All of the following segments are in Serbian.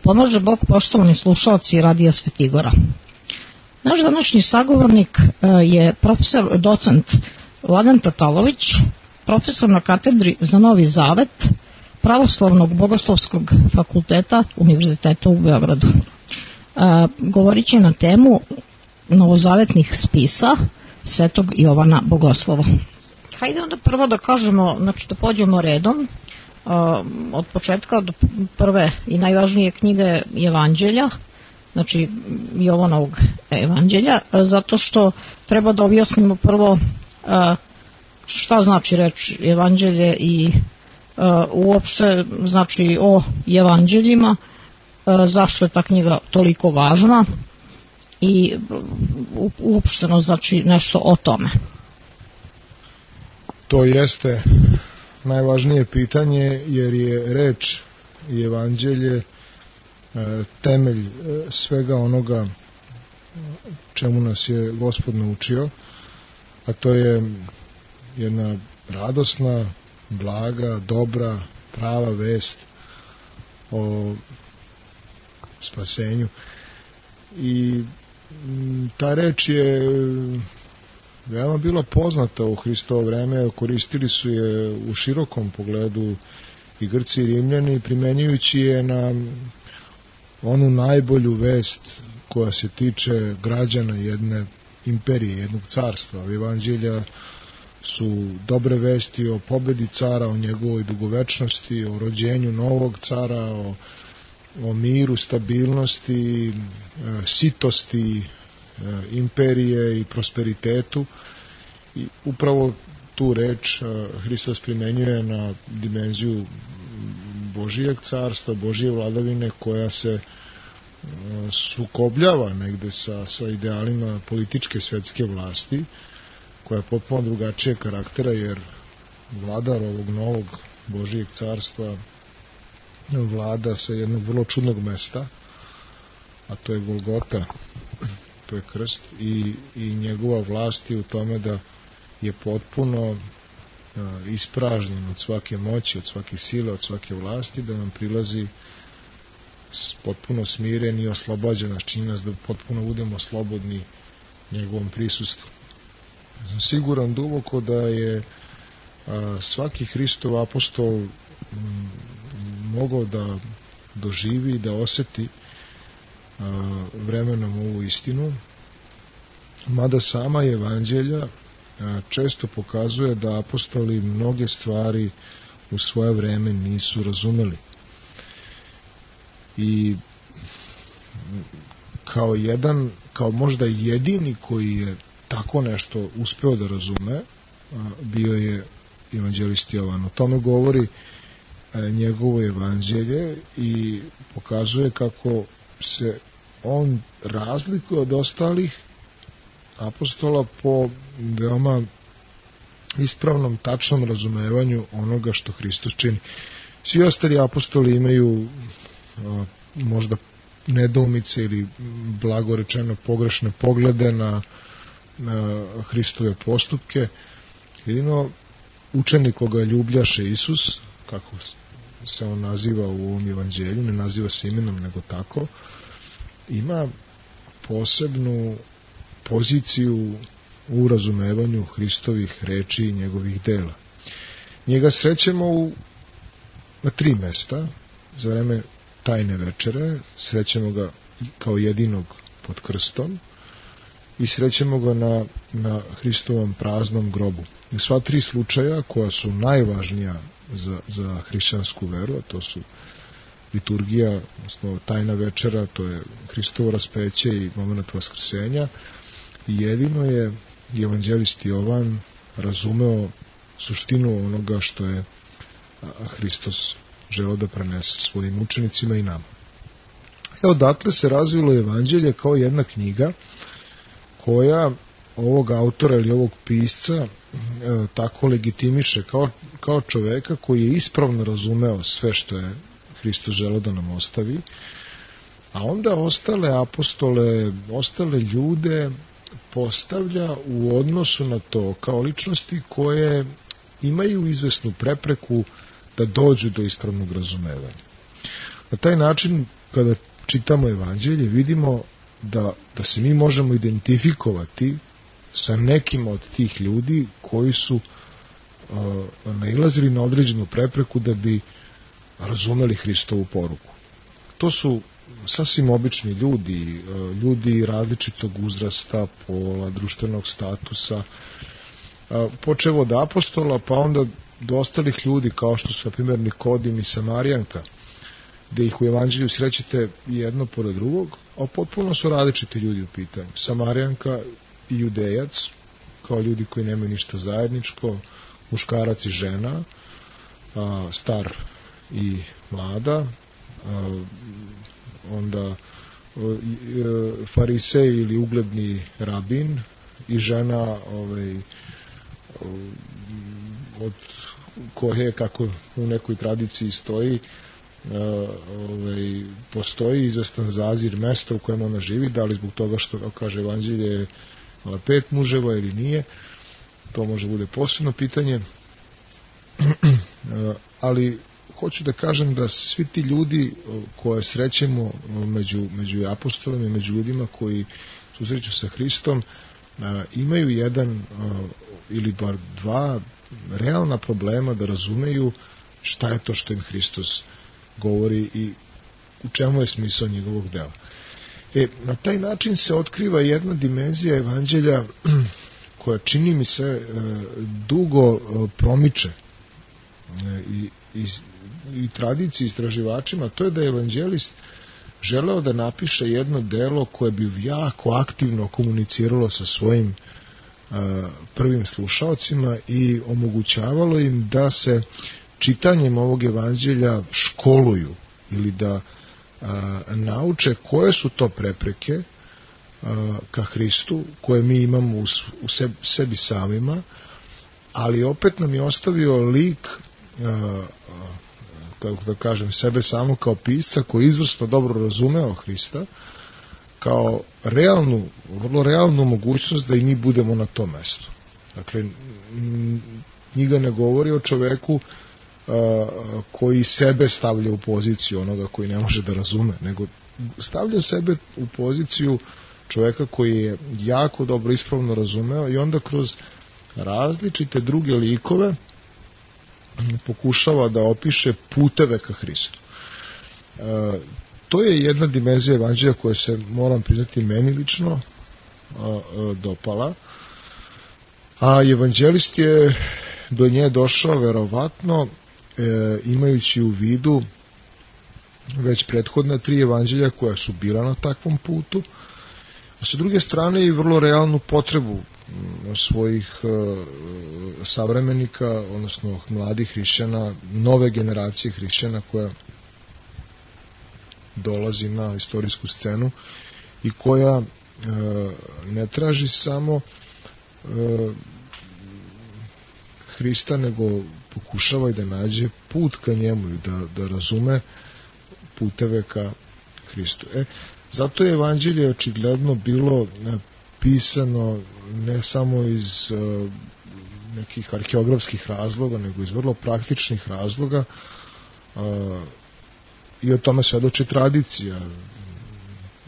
pomaže Bog, poštovani slušalci Radija Svetigora. Naš današnji sagovornik je profesor docent Vladan Tatalović, profesor na katedri za Novi Zavet Pravoslavnog bogoslovskog fakulteta Univerziteta u Beogradu. Govorit će na temu novozavetnih spisa Svetog Jovana Bogoslova. Hajde onda prvo da kažemo, znači da pođemo redom od početka do prve i najvažnije knjige Evanđelja, znači Jovanovog Evanđelja, zato što treba da objasnimo prvo šta znači reč Evanđelje i uopšte znači o Evanđeljima, zašto je ta knjiga toliko važna i uopšteno znači nešto o tome. To jeste najvažnije pitanje, jer je reč i Evanđelje temelj svega onoga čemu nas je Gospod naučio, a to je jedna radosna, blaga, dobra, prava vest o spasenju. I ta reč je veoma bila poznata u Hristovo vreme, koristili su je u širokom pogledu i Grci i Rimljani, primenjujući je na onu najbolju vest koja se tiče građana jedne imperije, jednog carstva. Evanđelja su dobre vesti o pobedi cara, o njegovoj dugovečnosti, o rođenju novog cara, o miru, stabilnosti, sitosti imperije i prosperitetu. I upravo tu reč Hristos primenjuje na dimenziju Božijeg carstva, Božije vladavine, koja se sukobljava negde sa idealima političke svetske vlasti, koja je potpuno drugačije karaktera, jer vladar ovog novog Božijeg carstva vlada sa jednog vrlo čudnog mesta, a to je Golgota, to je krst, i njegova vlast je u tome da je potpuno ispražnjen od svake moći, od svake sile, od svake vlasti, da nam prilazi potpuno smiren i oslobađa nas, čini nas da potpuno budemo slobodni njegovom prisustvu. Sam siguran duboko da je svaki Hristov apostol mogao da doživi i da oseti vremenom ovu istinu, mada sama Evanđelja često pokazuje da apostoli mnoge stvari u svoje vreme nisu razumeli. I kao možda jedini koji je tako nešto uspeo da razume, bio je evanđelist Jovan. O tome govori njegovo evanđelje i pokazuje kako se on razlikuje od ostalih apostola po veoma ispravnom, tačnom razumevanju onoga što Hristos čini. Svi ostali apostoli imaju možda nedoumice ili blago rečeno pogrešne poglede na Hristove postupke. Jedino učenik koga ljubljaše Isus, kako se on naziva u ovom evanđelju, ne naziva se imenom nego tako, ima posebnu poziciju u razumevanju Hristovih reči i njegovih dela. Njega srećemo na 3 mesta za vreme tajne večere, srećemo ga kao jedinog pod krstom i srećemo ga na Hristovom praznom grobu. I sva 3 slučaja koja su najvažnija za hrišćansku veru, a to su liturgija, odnosno tajna večera, to je Hristovo raspeće i moment vaskrsenja, i jedino je evanđelist Jovan razumeo suštinu onoga što je Hristos želeo da prenese svojim učenicima i nama. Odatle se razvilo evanđelje kao jedna knjiga koja ovog autora ili ovog pisca tako legitimiše kao čoveka koji je ispravno razumeo sve što je Hristos želeo da nam ostavi, a onda ostale apostole, ostale ljude postavlja u odnosu na to kao ličnosti koje imaju izvesnu prepreku da dođu do ispravnog razumevanja. Na taj način, kada čitamo evanđelje, vidimo da se mi možemo identifikovati sa nekim od tih ljudi koji su nailazili na određenu prepreku da bi razumeli Hristovu poruku. To su sasvim obični ljudi, ljudi različitog uzrasta, pola, društvenog statusa, počev od apostola, pa onda do ostalih ljudi kao što su, na primjer, Nikodim i Samarijanka, gde ih u evanđelju srećete jedno pored drugog, a potpuno su različiti ljudi u pitanju. Samarijanka i Judejac, kao ljudi koji nemaju ništa zajedničko, muškarac i žena, star i mlada, onda farisej ili ugledni rabin i žena od koje, kako u nekoj tradiciji stoji, postoji izvestan zazir mesta u kojem ona živi, da li zbog toga što, kaže evanđelje, 5 muževa ili nije, to može bude posebno pitanje, ali hoću da kažem da svi ti ljudi koje srećemo među apostolima i među ljudima koji susreću sa Hristom imaju jedan ili bar dva realna problema da razumeju šta je to što im Hristos govori i u čemu je smisao njegovog dela. Na taj način se otkriva jedna dimenzija evanđelja koja, čini mi se, dugo promiče i tradiciji istraživačima, to je da je evanđelist želeo da napiše jedno delo koje bi jako aktivno komuniciralo sa svojim prvim slušaocima i omogućavalo im da se čitanjem ovog evanđelja školuju ili da nauče koje su to prepreke ka Hristu koje mi imamo u sebi samima, ali opet nam je ostavio lik, kako da kažem, sebe samo kao pisca koji izvrsno dobro razumeo Hrista, kao vrlo realnu mogućnost da i mi budemo na tom mestu. Dakle, knjiga ne govori o čoveku koji sebe stavlja u poziciju onoga koji ne može da razume, nego stavlja sebe u poziciju čoveka koji je jako dobro ispravno razumeo i onda kroz različite druge likove pokušava da opiše puteve ka Hristu. To je jedna dimenzija evanđelja koja se, moram priznati, meni lično dopala, a evanđelist je do nje došao verovatno imajući u vidu već prethodna 3 evanđelja koja su bila na takvom putu, a sa druge strane i vrlo realnu potrebu svojih savremenika, odnosno mladih hrišćana, nove generacije hrišćana koja dolazi na istorijsku scenu i koja ne traži samo Hrista, nego pokušava i da nađe put ka njemu i da razume puteve ka Hristu. Zato je evanđelje očigledno bilo pisano ne samo iz nekih arheografskih razloga, nego iz vrlo praktičnih razloga i o tome svedoči tradicija.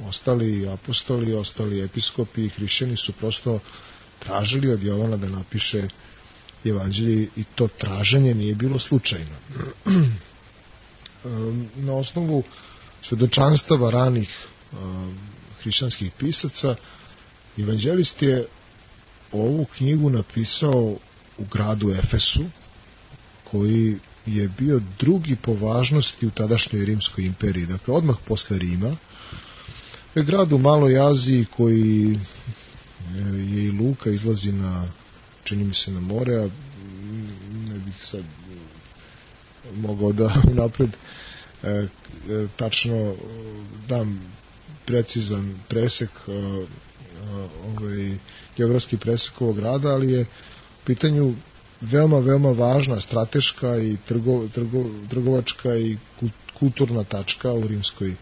Ostali apostoli, ostali episkopi i hrišćani su prosto tražili od Jovana da napiše evanđelje i to traženje nije bilo slučajno. Na osnovu svedočanstava ranih hrišćanskih pisaca, evanđelist je ovu knjigu napisao u gradu Efesu, koji je bio drugi po važnosti u tadašnjoj Rimskoj imperiji, dakle odmah posle Rima. Je grad u Maloj Aziji koji je i luka izlazi čini mi se na more, a ne bih sad mogao da unapred tačno dam precizan presek, geografski presek ovog grada, ali je u pitanju veoma, veoma važna strateška i trgovačka i kulturna tačka u Rimskoj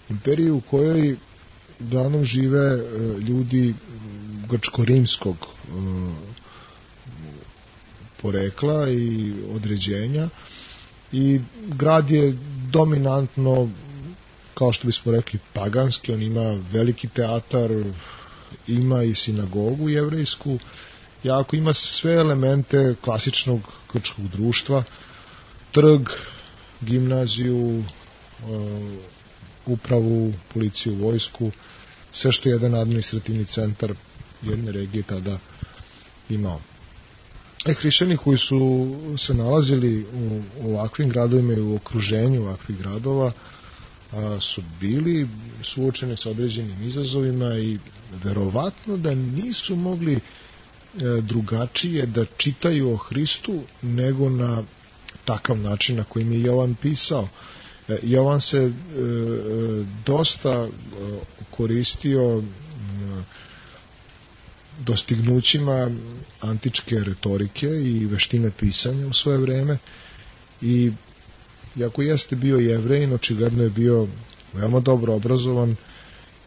imperiji, u kojoj uglavnom žive ljudi grčko-rimskog porekla i određenja, i grad je dominantno, kao što bismo rekli, paganski. On ima veliki teatar, ima i sinagogu jevrejsku, jako ima sve elemente klasičnog grčkog društva, trg, gimnaziju, upravu, policiju, vojsku, sve što je jedan administrativni centar jedne regije tada imao. Hrišćani koji su se nalazili u ovakvim gradovima i u okruženju ovakvih gradova su bili suočeni sa određenim izazovima i verovatno da nisu mogli drugačije da čitaju o Hristu nego na takav način na kojim je Jovan pisao. Jovan se dosta koristio dostignućima antičke retorike i veštine pisanja u svoje vreme i iako jeste bio Jevrein, očigledno je bio veoma dobro obrazovan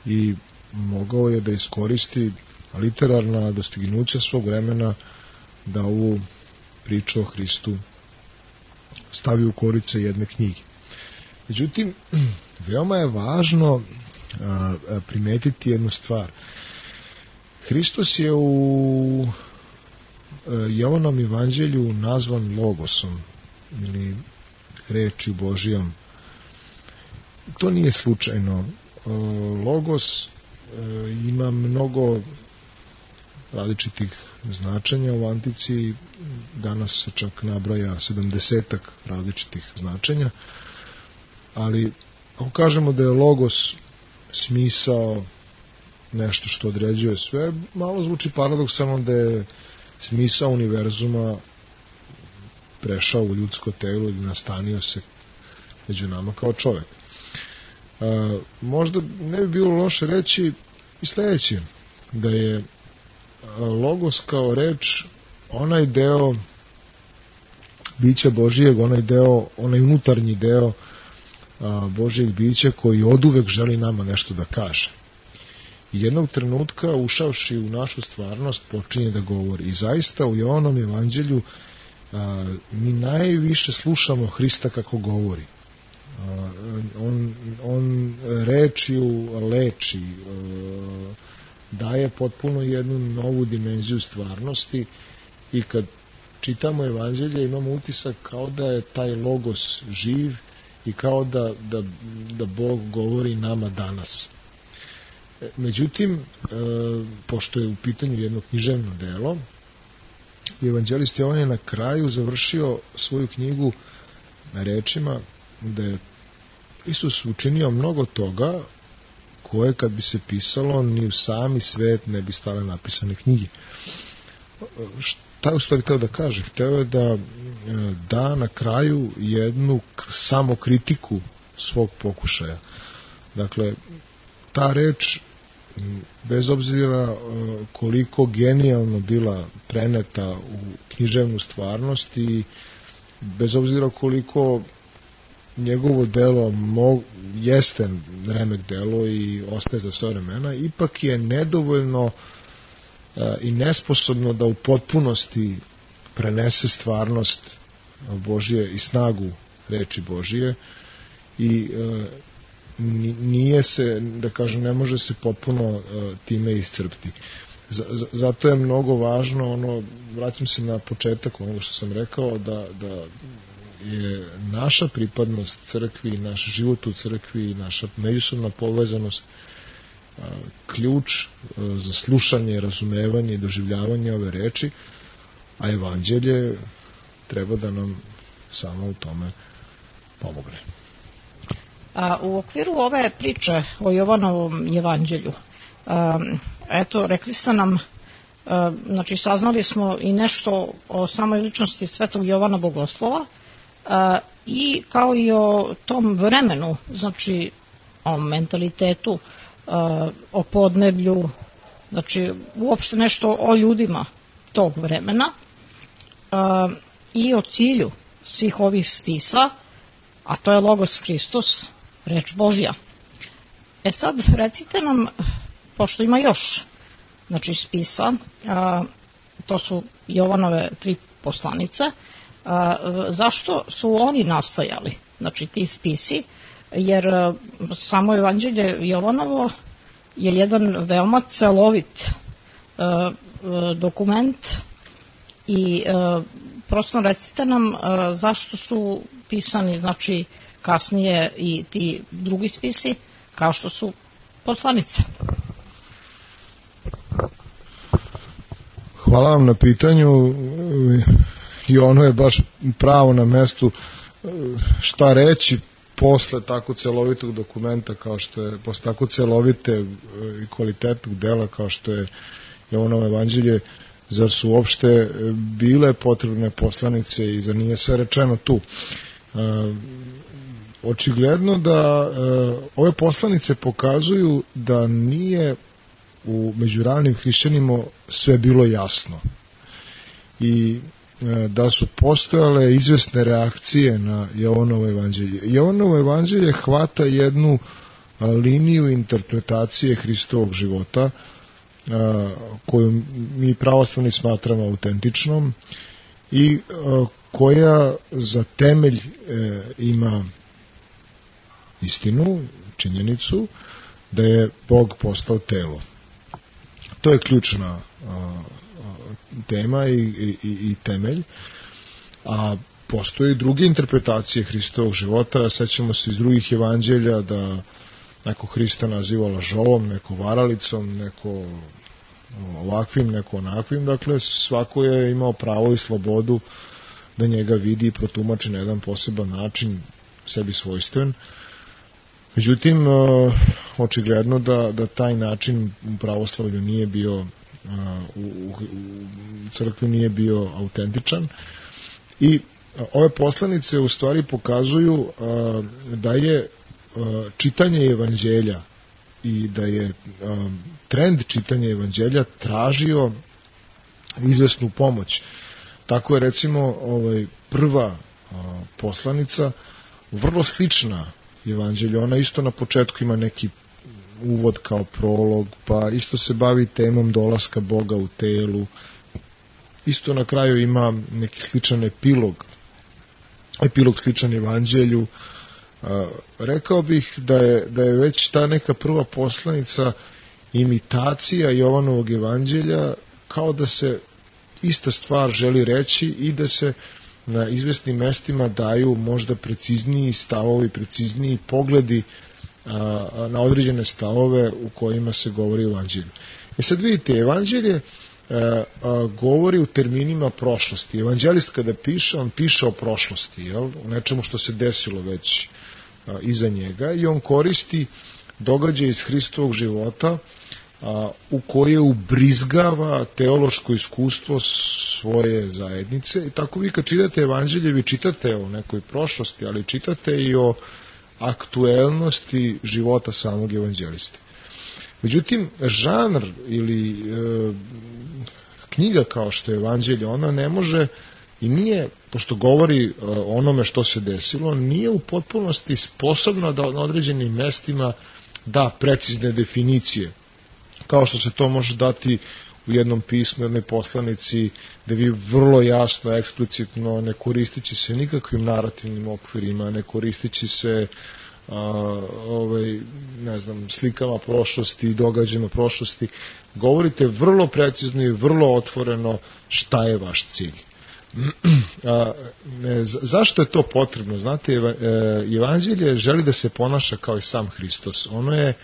i mogao je da iskoristi literarna dostignuća svog vremena da ovu priču o Hristu stavi u korice jedne knjige. Međutim, veoma je važno primetiti jednu stvar. Hristos je u Jovanom evanđelju nazvan logosom ili rečju Božijom. To nije slučajno. Logos ima mnogo različitih značenja u antici, danas se čak nabraja 70 različitih značenja, ali ako kažemo da je logos smisao, nešto što određuje sve, malo zvuči paradoksalno da je smisao univerzuma prešao u ljudsko telo i nastanio se među nama kao čovjek. Možda ne bi bilo loše reći i sledeće, da je logos kao reč onaj deo bića Božijeg, onaj unutarnji deo Božijeg bića koji oduvek želi nama nešto da kaže. I jednog trenutka, ušavši u našu stvarnost, počinje da govori. I zaista u Jovanom evanđelju mi najviše slušamo Hrista kako govori. On rečju leči, daje potpuno jednu novu dimenziju stvarnosti i kad čitamo evanđelje imamo utisak kao da je taj logos živ i kao da Bog govori nama danas. Međutim, pošto je u pitanju jedno književno delo, evanđelist Jovan je na kraju završio svoju knjigu na rečima da je Isus učinio mnogo toga koje kad bi se pisalo ni u sami svet ne bi stale napisane knjige. Šta je u stvari hteo da kaže? Hteo je da na kraju jednu samokritiku svog pokušaja. Dakle, ta reč, bez obzira koliko genijalno bila preneta u književnu stvarnost i bez obzira koliko njegovo delo jeste remek delo i ostaje za sve vremena, ipak je nedovoljno i nesposobno da u potpunosti prenese stvarnost Božije i snagu reči Božije i nije se, da kažem, ne može se potpuno time iscrpiti. Zato je mnogo važno, vraćam se na početak onoga što sam rekao, da je naša pripadnost crkvi, naš život u crkvi, naša međusobna povezanost ključ za slušanje, razumevanje i doživljavanje ove reči, a evanđelje treba da nam samo u tome pomogne. U okviru ove priče o Jovanovom evanđelju, eto, rekli ste nam, znači saznali smo i nešto o samoj ličnosti svetog Jovana Bogoslova i kao i o tom vremenu, znači o mentalitetu, o podneblju, znači uopšte nešto o ljudima tog vremena i o cilju svih ovih spisa, a to je Logos Hristos, reč Božja. Sad recite nam, pošto ima još znači spisa, to su Jovanove 3 poslanice, zašto su oni nastajali znači ti spisi, jer samo Evanđelje Jovanovo je jedan veoma celovit dokument i prosto recite nam zašto su pisani znači kasnije i ti drugi spisi kao što su poslanice. Hvala vam na pitanju i ono je baš pravo na mestu. Šta reći posle tako celovitog dokumenta kao što je, posle tako celovite i kvalitetnog dela kao što je Jovanovo evanđelje, zar su uopšte bile potrebne poslanice i zar nije sve rečeno tu? Očigledno da ove poslanice pokazuju da nije među ranim hrišćanima sve bilo jasno i da su postojale izvesne reakcije na Jovanovo evanđelje. Jovanovo evanđelje hvata jednu liniju interpretacije Hristovog života koju mi pravoslavni smatramo autentičnom i koja za temelj ima istinu, činjenicu da je Bog postao telo. To je ključna tema i temelj, a postoje druge interpretacije Hristovog života. Sećamo se iz drugih evanđelja da neko Hrista naziva lažovom, neko varalicom, neko ovakvim, neko onakvim. Dakle, svako je imao pravo i slobodu da njega vidi i protumači na jedan poseban način, sebi svojstven. Međutim, očigledno da taj način u pravoslavlju nije bio, u crkvi nije bio autentičan i ove poslanice u stvari pokazuju da je čitanje evanđelja i da je trend čitanja evanđelja tražio izvesnu pomoć. Tako je recimo prva poslanica vrlo slična evanđelju. Ona isto na početku ima neki uvod kao prolog, pa isto se bavi temom dolaska Boga u telu. Isto na kraju ima neki sličan epilog sličan evanđelju. Rekao bih da je već ta neka prva poslanica imitacija Jovanovog evanđelja, kao da se ista stvar želi reći i da se na izvesnim mestima daju možda precizniji stavovi, precizniji pogledi na određene stavove u kojima se govori o evanđelju. Sad vidite, evanđelje govori u terminima prošlosti. Evanđelist kada piše, on piše o prošlosti, jel? U nečemu što se desilo već iza njega i on koristi događaje iz Hristovog života u koje ubrizgava teološko iskustvo svoje zajednice i tako vi kad čitate evanđelje, vi čitate o nekoj prošlosti, ali čitate i o aktuelnosti života samog evanđeliste. Međutim, žanr ili knjiga kao što je evanđelje, ona ne može i nije, pošto govori o onome što se desilo, nije u potpunosti sposobna da na određenim mestima da precizne definicije, kao što se to može dati u jednom pismu, jednoj poslanici, da vi vrlo jasno, eksplicitno, ne koristići se nikakvim narativnim okvirima, ne koristići se slikama prošlosti, događajima prošlosti, govorite vrlo precizno i vrlo otvoreno šta je vaš cilj. Zašto je to potrebno? Znate, evanđelje želi da se ponaša kao i sam Hristos. Ono je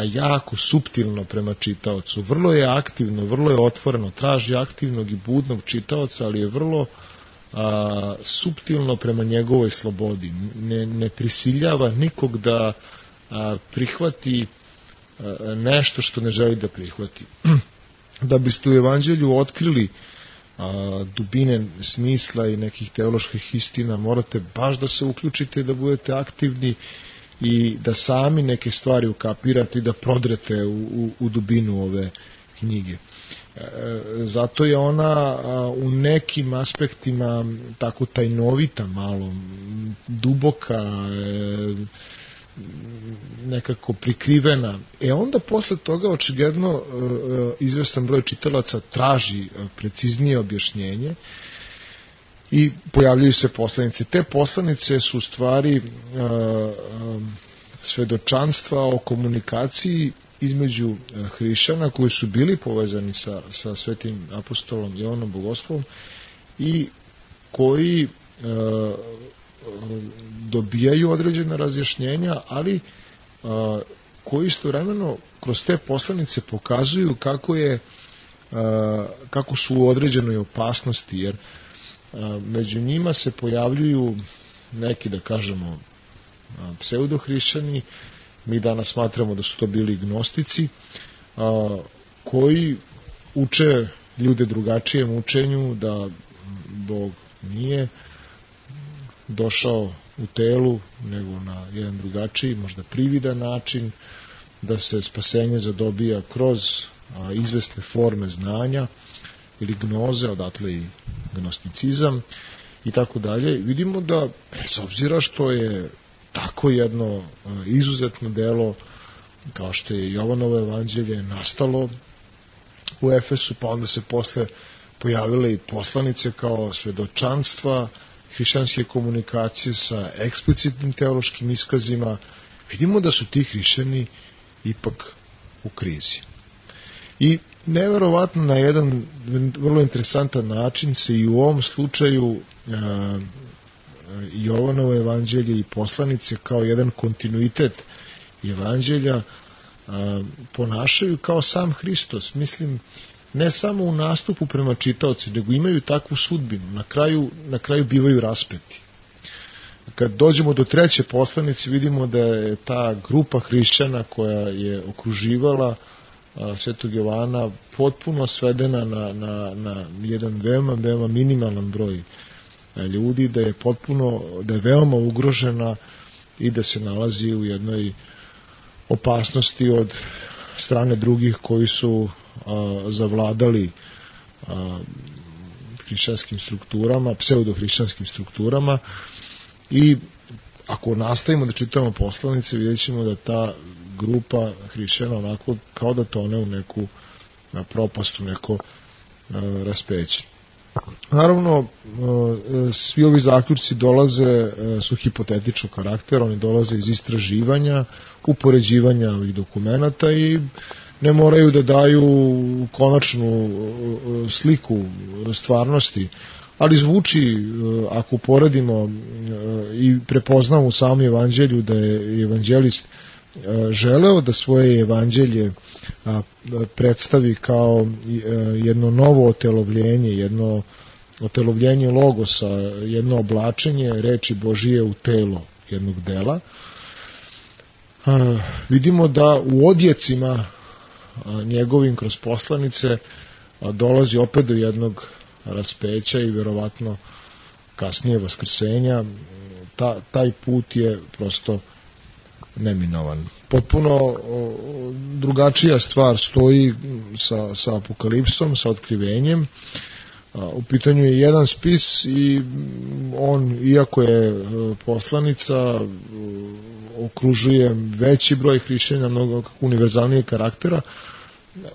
jako suptilno prema čitaocu, vrlo je aktivno, vrlo je otvoreno, traži aktivnog i budnog čitaoca, ali je vrlo suptilno prema njegovoj slobodi. Ne prisiljava nikog da prihvati nešto što ne želi da prihvati. Da biste u evanđelju otkrili dubine smisla i nekih teoloških istina, morate baš da se uključite i da budete aktivni i da sami neke stvari ukapirate i da prodrete u dubinu ove knjige. Zato je ona u nekim aspektima tako tajnovita, malo duboka, nekako prikrivena. Onda posle toga očigledno izvestan broj čitalaca traži preciznije objašnjenje i pojavljuju se poslanice. Te poslanice su u stvari svedočanstva o komunikaciji između hrišćana koji su bili povezani sa svetim apostolom Jovanom Bogoslovom i koji dobijaju određena razjašnjenja, ali koji istovremeno kroz te poslanice pokazuju kako su u određenoj opasnosti, jer među njima se pojavljuju neki, da kažemo, pseudohrišćani. Mi danas smatramo da su to bili gnostici, koji uče ljude drugačijem učenju, da Bog nije došao u telu, nego na jedan drugačiji, možda prividan način, da se spasenje zadobija kroz izvesne forme znanja ili gnoze, odatle i gnosticizam i tako dalje. Vidimo da, bez obzira što je tako jedno izuzetno delo kao što je Jovanovo evanđelje nastalo u Efesu, pa onda se posle pojavile i poslanice kao svedočanstva hrišćanske komunikacije sa eksplicitnim teološkim iskazima, vidimo da su ti hrišćani ipak u krizi. I neverovatno na jedan vrlo interesantan način se i u ovom slučaju Jovanovo evanđelje i poslanice kao jedan kontinuitet evanđelja ponašaju kao sam Hristos. Mislim, ne samo u nastupu prema čitaoci, nego imaju takvu sudbinu. Na kraju bivaju raspeti. Kad dođemo do treće poslanice, vidimo da je ta grupa hrišćana koja je okruživala svetog Jovana potpuno svedena na jedan veoma minimalan broj ljudi, da je veoma ugrožena i da se nalazi u jednoj opasnosti od strane drugih koji su zavladali hrišćanskim strukturama, pseudohrišćanskim strukturama. I ako nastavimo da čitamo poslanice, vidjet ćemo da ta grupa hrišćana onako kao da tone u neku propast, u neko raspeće. Naravno, svi ovi zaključci su hipotetičnog karaktera, oni dolaze iz istraživanja, upoređivanja ovih dokumenata i ne moraju da daju konačnu sliku stvarnosti, ali zvuči, ako poredimo i prepoznamo u samom evanđelju da je evanđelist želeo da svoje evanđelje predstavi kao jedno novo otelovljenje, jedno otelovljenje logosa, jedno oblačenje reči Božije u telo jednog dela. Vidimo da u odjecima njegovim kroz poslanice dolazi opet do jednog raspeća i verovatno kasnije vaskrsenja. Taj put je prosto neminovan. Potpuno drugačija stvar stoji sa apokalipsom, sa otkrivenjem. U pitanju je jedan spis i on, iako je poslanica, okružuje veći broj hrišćana, mnogo univerzalnijeg karaktera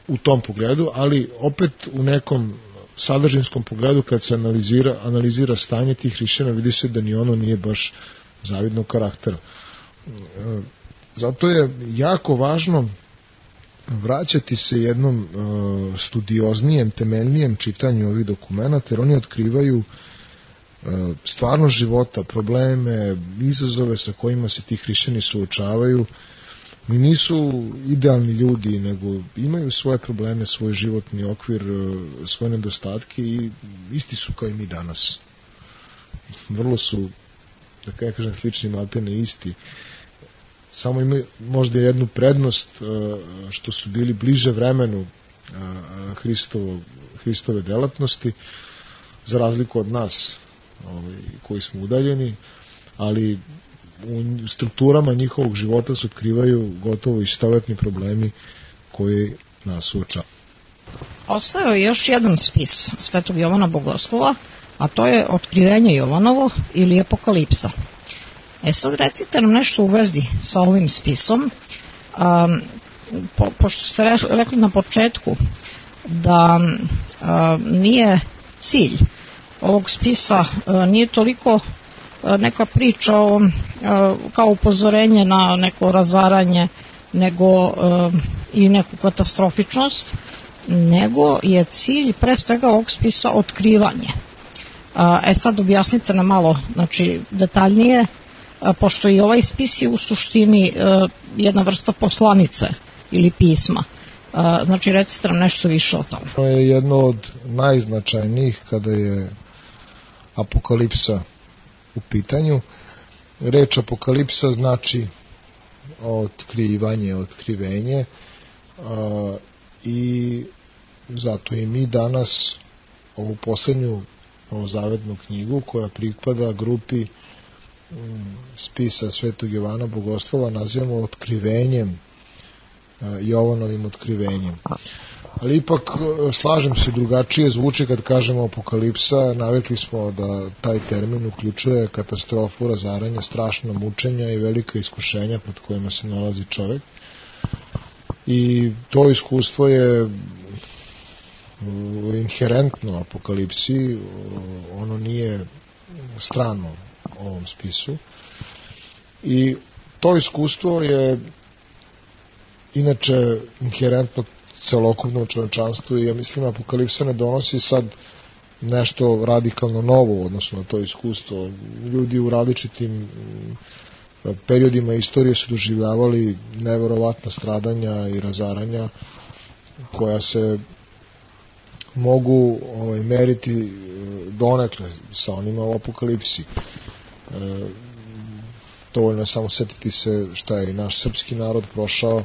u tom pogledu, ali opet u nekom sadržinskom pogledu kad se analizira stanje tih hrišćana, vidi se da ni ono nije baš zavidnog karaktera. Zato je jako važno vraćati se jednom studioznijem, temeljnijem čitanju ovih dokumenata, jer oni otkrivaju stvarno života, probleme, izazove sa kojima se ti hrišćani suočavaju. Nisu idealni ljudi, nego imaju svoje probleme, svoj životni okvir, svoje nedostatke i isti su kao i mi danas. Vrlo su, da kažem, slični, maltene isti. Samo imaju možda jednu prednost što su bili bliže vremenu Hristove delatnosti, za razliku od nas koji smo udaljeni, ali u strukturama njihovog života se otkrivaju gotovo istovetni problemi koji nas suočavaju. Ostao je još jedan spis svetog Jovana Bogoslova, a to je Otkrivenje Jovanovo ili Apokalipsa. Sad recite nam nešto u vezi sa ovim spisom, pošto ste rekli na početku da nije cilj ovog spisa nije toliko neka priča kao upozorenje na neko razaranje nego i neku katastrofičnost, nego je cilj pre svega ovog spisa otkrivanje. Sad objasnite nam malo, znači, detaljnije, pošto i ovaj spis je u suštini jedna vrsta poslanice ili pisma. Znači, recite nam nešto više o tome. To je jedno od najznačajnijih kada je apokalipsa u pitanju. Reč apokalipsa znači otkrivanje, otkrivenje, i zato i mi danas ovu poslednju novozavetnu knjigu koja pripada grupi spisa Svetog Jovana Bogoslova nazivamo otkrivenjem, Jovanovim otkrivenjem. Ali ipak slažem se, drugačije zvuči kad kažemo apokalipsa. Navikli smo da taj termin uključuje katastrofu, razaranje, strašno mučenja i velika iskušenja pred kojima se nalazi čovek. I to iskustvo je inherentno apokalipsi, ono nije strano ovom spisu. I to iskustvo je inače inherentno celokupnom čovečanstvu i ja mislim apokalipsa ne donosi sad nešto radikalno novo odnosno na to iskustvo. Ljudi u različitim periodima istorije su doživljavali neverovatna stradanja i razaranja koja se mogu meriti donekle sa onima u apokalipsi. Dovoljno je samo setiti se šta je naš srpski narod prošao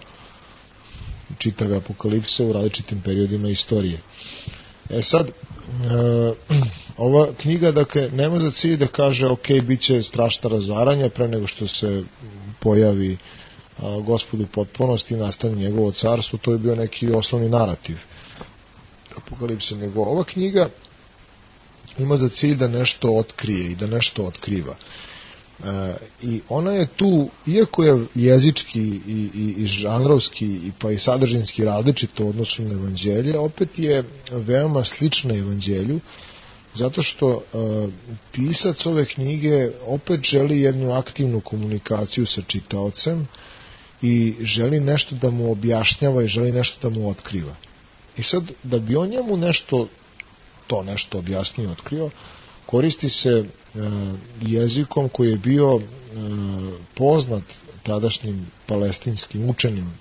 čitave apokalipse u različitim periodima istorije. Sad, ova knjiga, dakle, nema za cilj da kaže ok, bit će strašna razaranja pre nego što se pojavi Gospod u potpunosti i nastane njegovo carstvo. To je bio neki osnovni narativ apokalipse, nego ova knjiga ima za cilj da nešto otkrije i da nešto otkriva. I ona je tu, iako je jezički i žanrovski pa i sadržinski različito u odnosu na evanđelje, opet je veoma slična evanđelju, zato što pisac ove knjige opet želi jednu aktivnu komunikaciju sa čitaocem i želi nešto da mu objašnjava i želi nešto da mu otkriva. I sad, da bi on njemu nešto objasnio i otkrio, koristi se jezikom koji je bio poznat tadašnjim palestinskim učenim,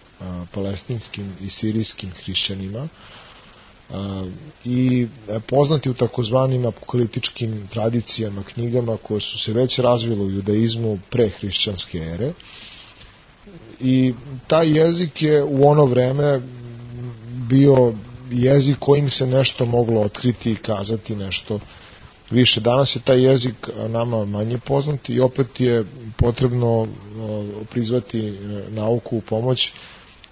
palestinskim i sirijskim hrišćanima i poznati u takozvanim apokaliptičkim tradicijama, knjigama koje su se već razvile u judaizmu pre hrišćanske ere. I taj jezik je u ono vreme bio jezik kojim se nešto moglo otkriti i kazati nešto više. Danas je taj jezik nama manje poznat i opet je potrebno prizvati nauku u pomoć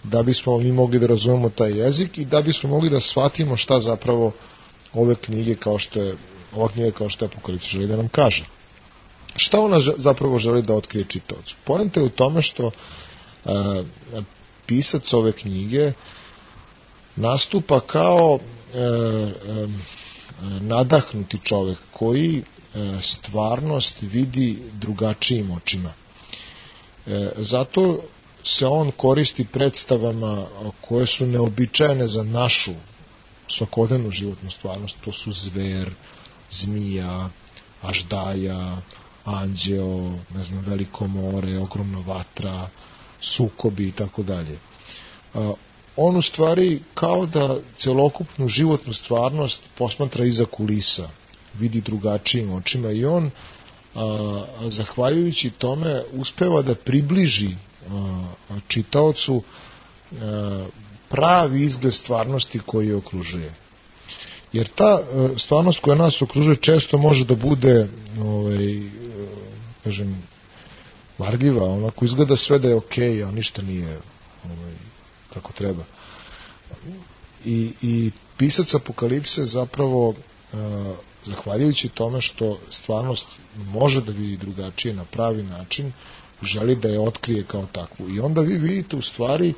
da bismo mi mogli da razumemo taj jezik i da bismo mogli da shvatimo šta zapravo ova knjiga kao što je Apokalipsa želi da nam kaže. Šta ona zapravo želi da otkrije čitaocu? Poenta je u tome što pisac ove knjige nastupa kao nadahnuti čovek koji stvarnost vidi drugačijim očima. Zato se on koristi predstavama koje su neobičajene za našu svakodnevnu životnu stvarnost. To su zver, zmija, aždaja, anđeo, veliko more, ogromna vatra, sukobi i tako dalje. On u stvari kao da celokupnu životnu stvarnost posmatra iza kulisa, vidi drugačijim očima i on, zahvaljujući tome, uspeva da približi čitaocu pravi izgled stvarnosti koji je okružuje. Jer ta stvarnost koja nas okružuje često može da bude varljiva, onako izgleda sve da je okej, a ništa nije kako treba. I pisac Apokalipse zapravo, zahvaljujući tome što stvarnost može da vidi drugačije na pravi način, želi da je otkrije kao takvu. I onda vi vidite u stvari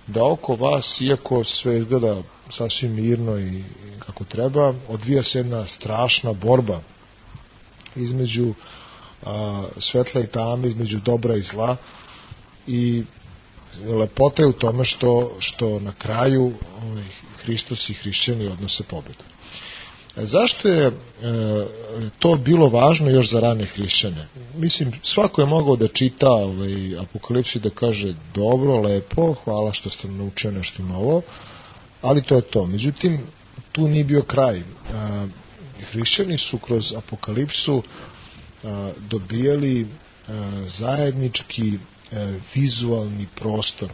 da oko vas, iako sve izgleda sasvim mirno i kako treba, odvija se jedna strašna borba između svetla i tame, između dobra i zla, i lepota je u tome što na kraju Hristos i hrišćani odnose pobedu. Zašto je to bilo važno još za rane hrišćane? Mislim, svako je mogao da čita Apokalipsu i da kaže dobro, lepo, hvala što ste naučio nešto novo, ali to je to. Međutim, tu nije bio kraj. Hrišćani su kroz Apokalipsu dobijali zajednički vizualni prostor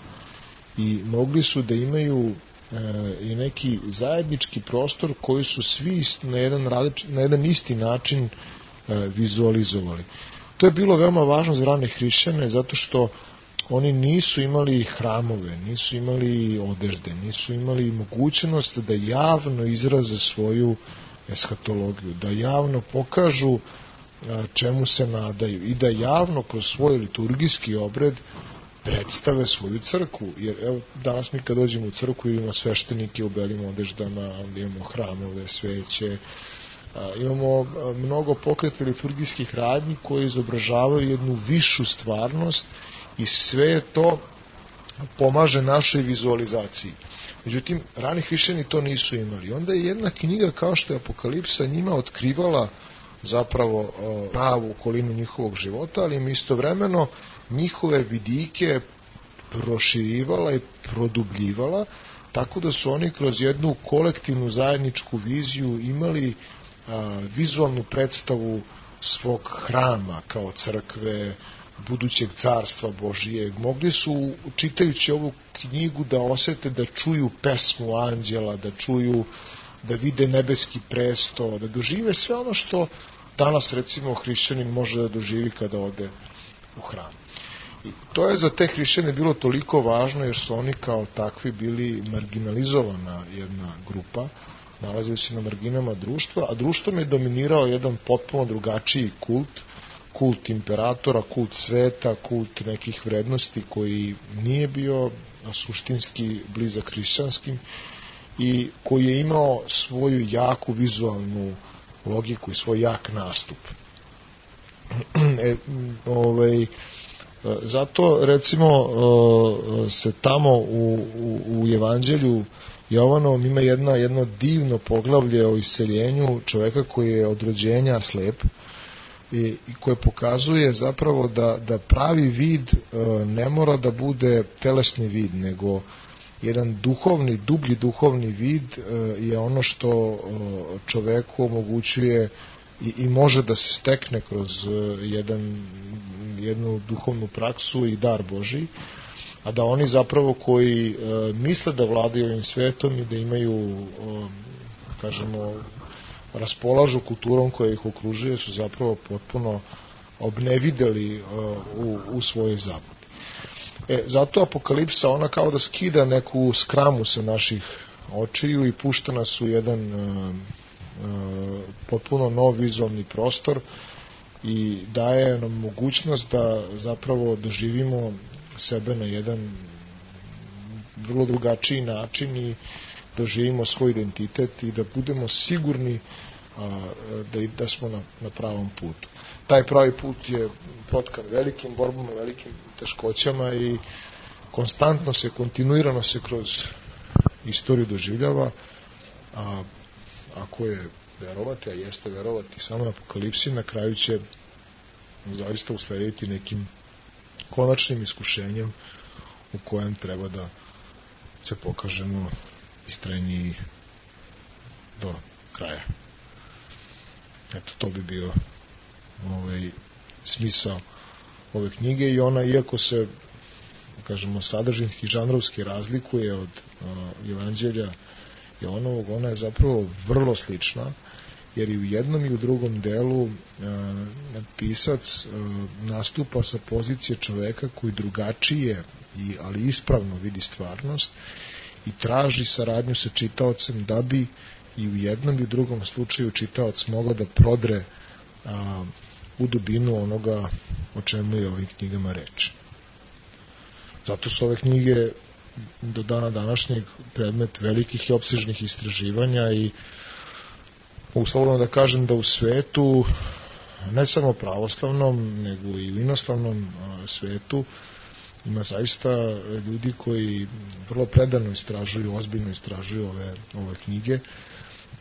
i mogli su da imaju i neki zajednički prostor koji su svi na jedan isti način vizualizovali. To je bilo veoma važno za rane hrišćane, zato što oni nisu imali hramove, nisu imali odežde, nisu imali mogućnost da javno izraze svoju eshatologiju, da javno pokažu čemu se nadaju i da javno kroz svoj liturgijski obred predstave svoju crkvu. Jer evo, danas mi kad dođemo u crkvu imamo sveštenike u belim odeždama, imamo hramove, sveće, imamo mnogo pokreta liturgijskih radnji koji izobražavaju jednu višu stvarnost i sve to pomaže našoj vizualizaciji. Međutim, rani hrišćani to nisu imali. Onda je jedna knjiga kao što je Apokalipsa njima otkrivala zapravo pravu okolinu njihovog života, ali im istovremeno njihove vidike proširivala i produbljivala, tako da su oni kroz jednu kolektivnu zajedničku viziju imali vizualnu predstavu svog hrama kao crkve, budućeg carstva Božijeg. Mogli su, čitajući ovu knjigu, da osete, da čuju pesmu anđela, da čuju, da vide nebeski presto, da dožive sve ono što danas recimo hrišćanin može da doživi kada ode u hram. I to je za te hrišćane bilo toliko važno jer su oni kao takvi bili marginalizovana jedna grupa, nalazili se na marginama društva, a društvom je dominirao jedan potpuno drugačiji kult imperatora, kult sveta, kult nekih vrednosti koji nije bio suštinski blizak hrišćanskim i koji je imao svoju jaku vizualnu logiku i svoj jak nastup. Zato recimo se tamo u Evanđelju Jovanovom ima jedno divno poglavlje o isceljenju čoveka koji je od rođenja slep i koje pokazuje zapravo da pravi vid ne mora da bude telesni vid, nego jedan duhovni, dublji duhovni vid je ono što čoveku omogućuje i može da se stekne kroz jednu duhovnu praksu i dar Božiji, a da oni zapravo koji misle da vladaju ovim svetom i da imaju, kažemo, raspolažu kulturom koja ih okružuje, su zapravo potpuno obnevideli u svojoj zabludi. Zato Apokalipsa, ona kao da skida neku skramu sa naših očiju i pušta nas u jedan potpuno nov vizualni prostor i daje nam mogućnost da zapravo doživimo sebe na jedan vrlo drugačiji način i doživimo svoj identitet i da budemo sigurni da smo na pravom putu. Taj pravi put je protkan velikim borbama, velikim teškoćama i kontinuirano se kroz istoriju doživljava, a ako je verovati, a jeste verovati samo na Apokalipsi, na kraju će zaista uslediti nekim konačnim iskušenjem u kojem treba da se pokažemo istrajniji do kraja. Eto, to bi bio smisao ove knjige i ona, iako se, kažemo, sadržinski, žanrovski razlikuje od Evanđelja Jovanovog, ona je zapravo vrlo slična, jer i u jednom i u drugom delu pisac nastupa sa pozicije čoveka koji drugačije, ali ispravno vidi stvarnost i traži saradnju sa čitaocem da bi i u jednom i u drugom slučaju čitaoc mogao da prodre u dubinu onoga o čemu je ovim knjigama reč. Zato su ove knjige do dana današnjeg predmet velikih i opsežnih istraživanja i uslovno da kažem da u svetu, ne samo pravoslavnom, nego i u inostranom svetu, ima zaista ljudi koji vrlo predano istražuju, ozbiljno istražuju ove knjige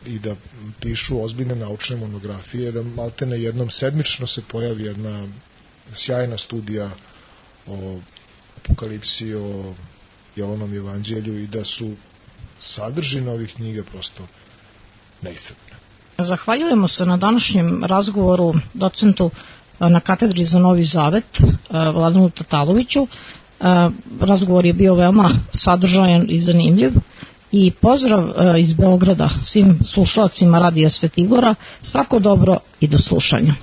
i da pišu ozbiljne naučne monografije, da maltene jednom sedmično se pojavi jedna sjajna studija o apokalipsi, o Jovanom evanđelju i da su sadržine ovih knjiga prosto neiscrpne. Zahvaljujemo se na današnjem razgovoru docentu na katedri za Novi Zavet, Vladanu Tataloviću. Razgovor je bio veoma sadržajan i zanimljiv i pozdrav iz Beograda svim slušalcima Radija Svetigora. Svako dobro i do slušanja.